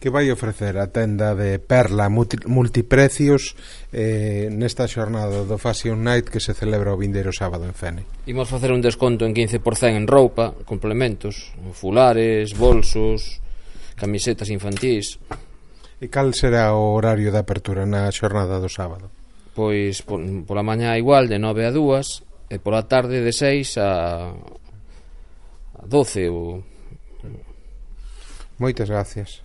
Que vai ofrecer a tenda de Perla Multiprecios nesta xornada do Fashion Night que se celebra o vindeiro sábado en Fene? Imos facer un desconto en 15% en roupa, complementos, fulares, bolsos, camisetas infantís. E cal será o horario de apertura na xornada do sábado? Pois pola mañá igual de 9 a 2 e pola tarde de 6 a 12 ou... Moitas gracias.